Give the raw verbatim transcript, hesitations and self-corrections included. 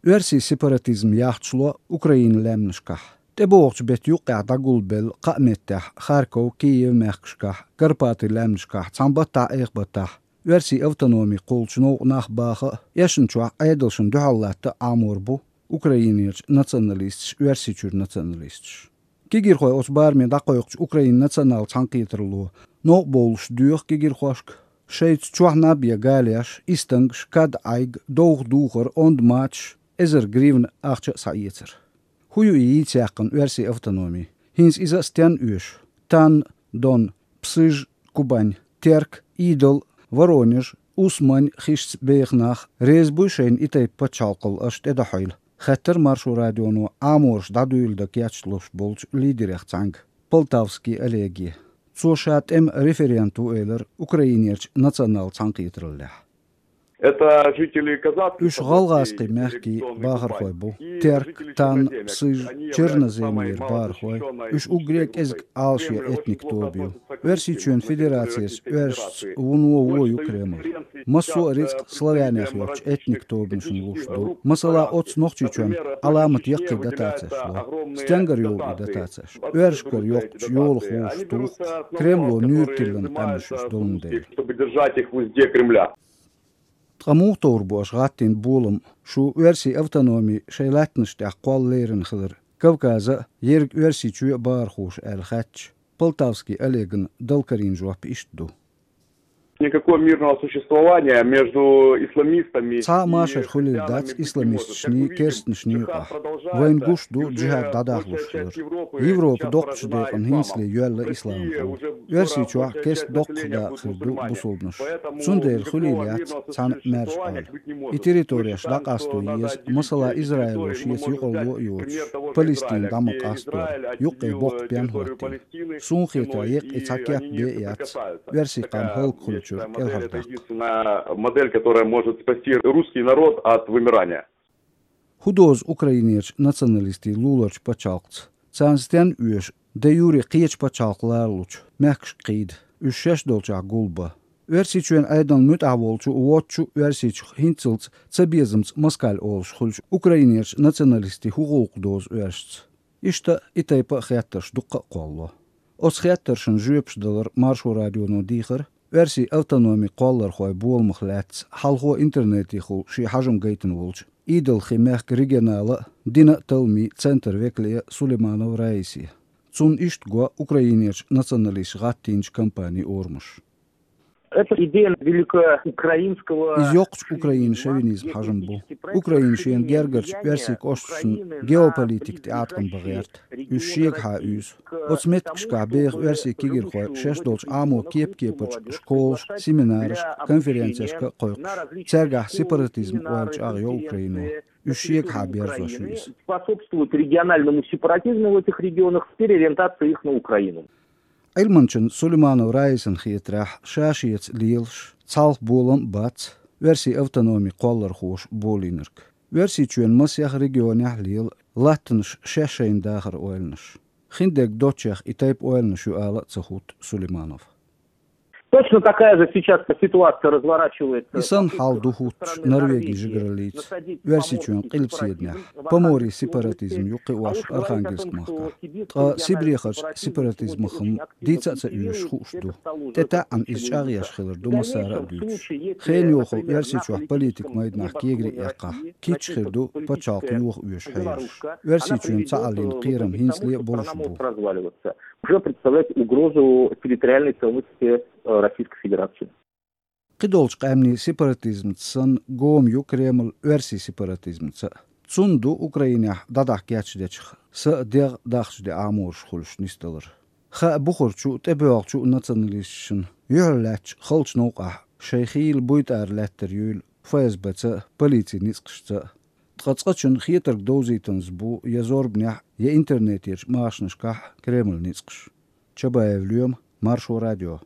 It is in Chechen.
Оьрсийн сепаратизм яхача ло Украинан лаьмнашкахь. ТӀебогӀучу беттан юккъехь дӀагулбелла кхаа меттехь Харьков, Киев мехкашкахь, Карпатийн лаьмнашкахь цхьана баттахь, айхьа баттахь оьрсийн автономи кхуллучу новкъа нах баха а, эшначохь Ӏедалшна дуьхьал латта а Ӏамор бу Украинерчу националисташа оьрсийн чуьра националисташ. Кегийрхой оцу бараме дӀакхойкхучу Украинан национал цхьаьнакхетаралло новкъа бовлуш доьху кегийрхошка шайца чохь наб я галеш, истангаш, кад Ӏайг, довха духар, онда мачаш, эзар гривна ахча а схьаэцар. ХӀун ю и йийца яьккхина оьрсийн автономи? ХӀинца иза а стенна оьшу? Тан, Дон, Псыж, Кубань, Терк, Идол, Воронеж, Усмань хишца беха нах реза буй шайна и тайпа пачхьалкхал аша тӀедахьийла? Хаьттира Маршо радионо Ӏамораш дӀадуьйла дан кечлуш болчу лидерех цхьаьнга, Полтавский Олеге. Цо ша тӀеман референт ву элира Украинерчу национал цхьаьнакхетараллехь. Это жители казахских Уьш гӀалгӀазкхийн мехкийн бахархой бу. Терк, Тан, Псыж, Черноземьера бахархой. Уьш уггаре а кӀезиг Ӏалашъен этник тоба ю. Оьрсийчоьнан Федерацерчу оьрсашца вуно вон ю Кремль. Массо а рицкъ славянех йоцучу этник тобанашна луш ду. Масала, оцу Нохчийчоьнна Ӏаламат яккхий дотацеш ло. Стенгара йолу и дотацеш? Оьрсашкара йоккхучу йолах вовшахтуху, Кремло нуьйр тиллина къаьмнаш уьш долун дела. Чтобы держать их в узде Кремля. Ткъа муха товр бу аша гӀаттийна болам, шу оьрсийн автономи шайн лаьттанаш тӀехь кхолла лерина хилар Кавказа а, ерриг Оьрсийчоь а бахархоша аьлла хаьттича, Полтавский Олеган дала карийна жоп иштта ду. Никакого мирного существования между исламистами Цхьа а машар хуьлийла дац исламисташний, керстанашний юкъахь. Вайна гуш ду джихад дӀадахлуш хилар. Европа доккхачу декъана хӀинцале йоьлла исламхо. Оьрсийчохь керста доккхах дакъа хир ду бусулбанаш. Цундела хуьлийла яц цхьана а маьрша Ӏойла. И территореш дӀакъасто еза, масала, Израило шеца юкъарло а йоцуш, Палестина дӀа ма къасто, юккъе боккха пен хӀоттийна. Суна хетарехь, еккъа и цхьа кеп бен а яц оьрсийн къам хӀаллак хуьлучуьра кӀелхьардаккха. Единственная модель, которая может спасти русский народ от вымирания. ХӀун дозу Украинерчу националистийн луларчу пачхьалкхца? Царна стенна оьшу де-юре кхечу пачхьалкх ларалучу мехкашка кхийда, уьш шаьш долчохь гулбан? Оьрсийчоьнан Ӏедална муьтӀахь волчу, воцчу а Оьрсийчух хӀинццалц цабезамца москаль олуш хуьлучу Украинерчу националистийн хӀун гӀуллакх дозу оьрсашца? Иштта и тайпа а хеттарш дуккха а кхоллало. Оцу хеттаршна жоьпаш далар Маршо радионо дийхира оьрсийн автономи кхоллархойн боламах лаьцна хьалхо интернетехула шен хьажам гайтина волчу Идалхин мехкан регионала а, дина а талламийн центр векале а Сулейманова Раисе. Цунна иштта го Украинерчу националисташа гӀаттийначу кампанин орамаш. Это идея великоукраинского Иза йоккхачу Украинан шовинизм хьажам бу. Украина шена гергарчу оьрсийн кӀошташна геополитика тӀеӀаткъам бан гӀерта. Уьш шегахьа уьйзу. Оцу меттигашкахь беха оьрсийн кегийрхой шаьш долчу Ӏамо кеп-кепарчу школашка, семинарашка, конференцешка а кхойкхуш. Цаьргахь сепаратизм ойла чӀагӀйо Украино. Уьш шегахьа берзош ю иза. Способствует региональному сепаратизму в этих регионах с переориентацией их на Украину. Ӏилманчун Сулейманова Раисана хетарехь, ша-шеца лелаш, цхьалха болам а бац оьрсийн автономи кхоллархоша болийнарг. Оьрсийчоьнан масех регионехь а лела латтанаш шаьш-шайна дахаран ойланаш. Хиндерг доцчех и тайпа ойланаш ю ала а ца хӀутту Сулейманова. Точно такая же сейчас ситуация разворачивается. И санна хьал ду хӀуттуш Норвегин жигараллица, Оьрсийчоьнан къилбаседанехь, Поморье сепаратизм ю кхиош Архангельск махкахь. Ткъа Сибрехарчу сепаратизмах-м дийца а ца оьшуш хууш ду. ТӀетаьӀӀана иза чӀагӀъеш хилар ду массара а дуьйцуш. Хенан йохалла Оьрсийчохь политикан майданахь кегари а эккхахь, кийча хир ду пачхьалкх йоха оьшу хьелаш. Оьрсийчоьнан цхьааллин кхерам хӀинцале а болуш бу. Уже представляет угрозу территориальной целостности, э, Российской Федерации. Кхидолчу къаьмнийн сепаратизмца санна гома ю Кремль оьрсийн сепаратизмца а. Цунна ду Украинехь дӀадахьа кечдечух са а дегӀ дахча де Ӏамораш хуьлуш нисдалар. Хаа бухарчу а, тӀебоьлхучу а националисташна юьхьарлаьцначу халчу новкъахь шайн хийла буйтӀара лаьттар юйла ФСБ-ца а, полицин ницкъашца а. Ткъа цкъачунна хетарг довзийтанза бу я зорбанехь, я интернетерчу машанашкахь Кремль ницкъаш. Чабаев Лоьма, Маршо радио.